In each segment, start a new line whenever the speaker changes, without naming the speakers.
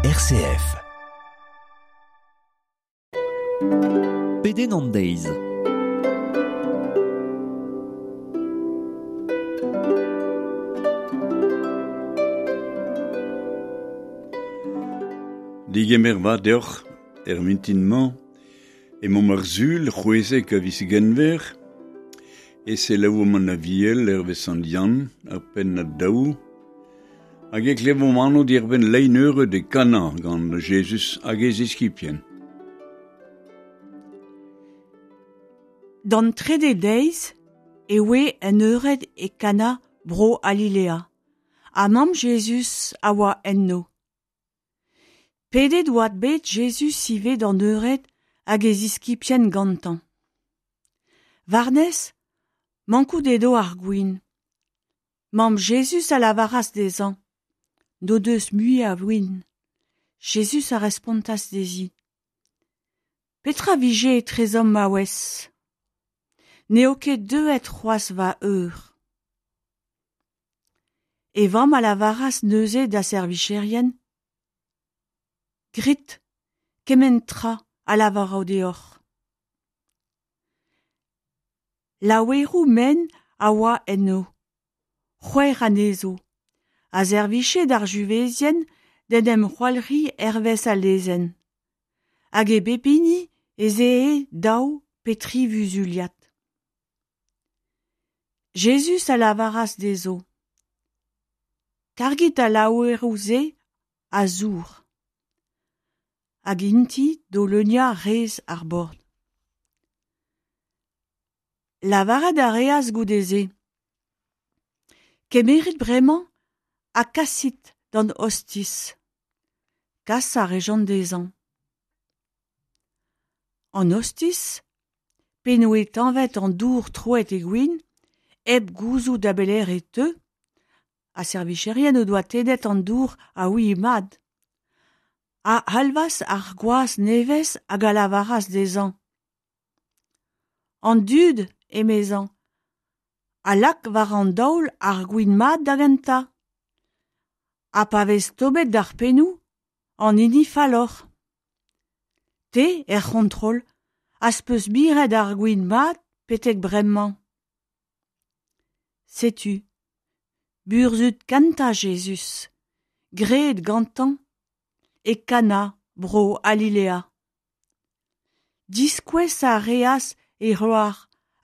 RCF.
Pedenn an deiz.
Digemer vat deoc'h er mintin-mañ emaomp ar Sul c'hwezek a viz Genver e selaouomp an Aviel hervez Sant Yann, ar pennad daou, hag e klevomp anv diarbenn lein eured e Kana gant Jezuz hag e ziskibien.
D'an trede deiz e oe un eured e Kana bro Alilea, ha mamm Jezuz a oa enno. Pedet oa bet Jezuz ivez d'an eured hag e ziskibien gantañ. War-nes, mankout edo ar gwin. Mamm Jezuz a lavaras dezhañ N'o deus mui a win. Jezuz a respontas dezhi Petra vije etrezomp maouez? N'eo ket deuet c'hoazh va eur. E vamm a lavaras neuze da servijerien Grit kement tra a lavaro deoc'h. Laoueroù men a oa enno, c'hwec'h anezho, a servije d'ar juvezien d'en em c'hoalc'hiñ hervez al lezenn. Hag e bep hini ez ee daou pe tri vuzuliad. Jezuz a lavaras dezho: Kargit al laoueroù-se a zour. Hag int-i d'o leuniañ rez ar bord. Lavaret a reas goude-se: Kemerit bremañ ha kasit d'an ostiz. Kas a rejont dezhañ. An ostiz, p'en doe tañvet an dour troet e gwin, hep gouzout da belec'h e teu, ha servijerien o doa tennet an dour a ouie mat, a c'halvas ar gwaz nevez hag a lavaras dezhañ: An dud, emezañ, a lak war an daol ar gwin mat da gentañ. Ha pa vez tommet d'ar pennoù, an hini falloc'h. Te, er c'hontrol, az peus miret ar gwin mat betek bremañ. Setu burzhud kentañ Jezuz, graet gantañ e Kana bro Alilea. Diskouez a reas e c'hloar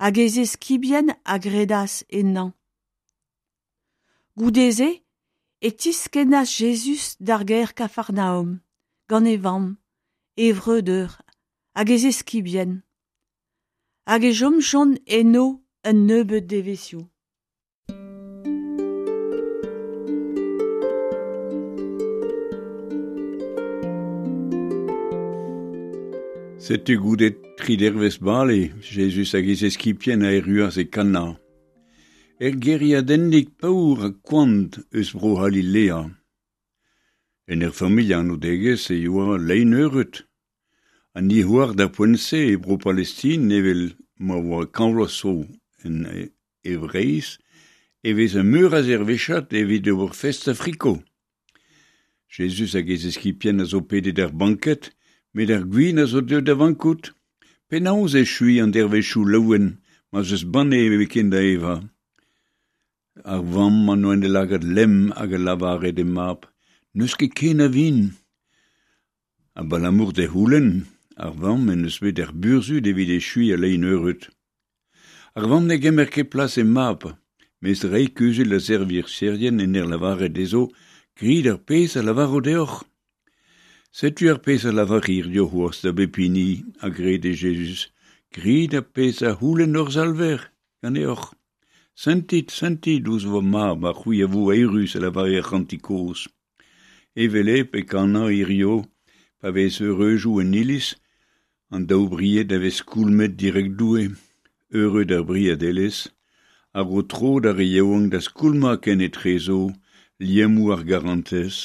hag e zeskibien a gredas ennañ. Goude-se e tiskennas Jezuz d'ar gêr Kafarnaom gant e vamm, e vreudeur hag e zeskibien. Hag e chomjont eno un nebeud devezhioù.
Setu goude tri dervezh bale, Jezuz hag e zeskibien a erruas e Kana. Er gêriadennig paour ha koant eus Bro-C'halilea. En ur familh anoudegezh e oa lein eured. An dic'hoar d'ar poent-se e Bro-Palestin evel ma oa kant vloaz zo en e Vreizh e veze meur a zervezhad evit ober fest ha friko. Jezuz hag e zeskibien a zo pedet er banked, met ar gwin a zo deuet da vankout. Penaos echuiñ an dervezhioù laouen ma 'z eus banne ebet da evañ? Ar vamm an oa en he lagad lemm hag a lavare d'he mab N'eus ket ken a vin. Abalamour d'e c'houlenn, ar vamm en deus bet ar burzhud evit echuiñ al lein eured. Ar vamm ne gemer ket plas he mab, mes reiñ kuzul da servijerien en ur lavaret dezho Grit ar pezh a lavaro deoc'h. Setu ar pezh a lavar hiziv c'hoazh da bep hini a gred e Jezuz. Grit ar pezh a c'houlenn hor Salver ganeoc'h. Sentit, sentit ouzh va mab ha c'hwi a vo eürus a lavare ar c'hantik kozh. Evel-hep e kanañ hiziv pa vez eureujoù en iliz, an daou bried a vez skoulmet dirak Doue. Eured ar briedelezh a ro tro d'ar re yaouank da skoulmañ kenetrezo liammoù ar garantez,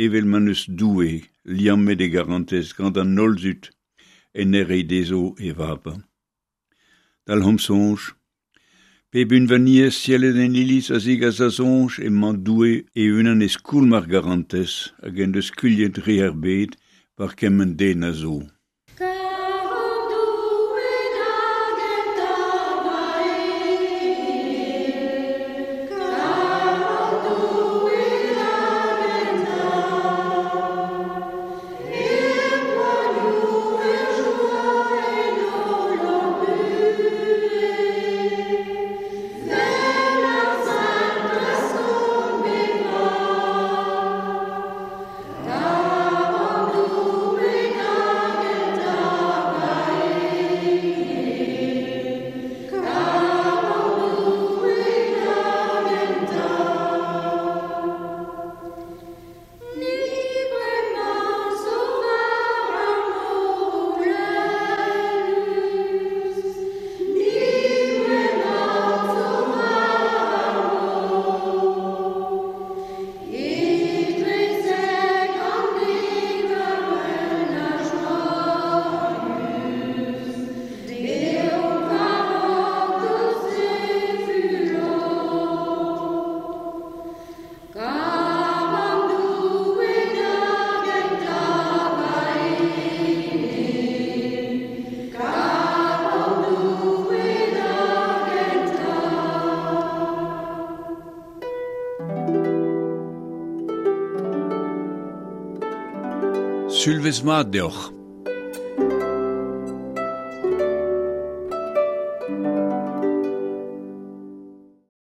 evel ma 'neus Doue liammet e garantez gant an holl dud en ur reiñ dezho e vab. Dalc'homp soñj. Pep unvaniezh sellet en iliz a zegas da soñj emañ Doue e-unan e skoulm ar garantez hag en deus skuilhet dre ar bed war kement den a zo. Sulvezh mat deoc'h.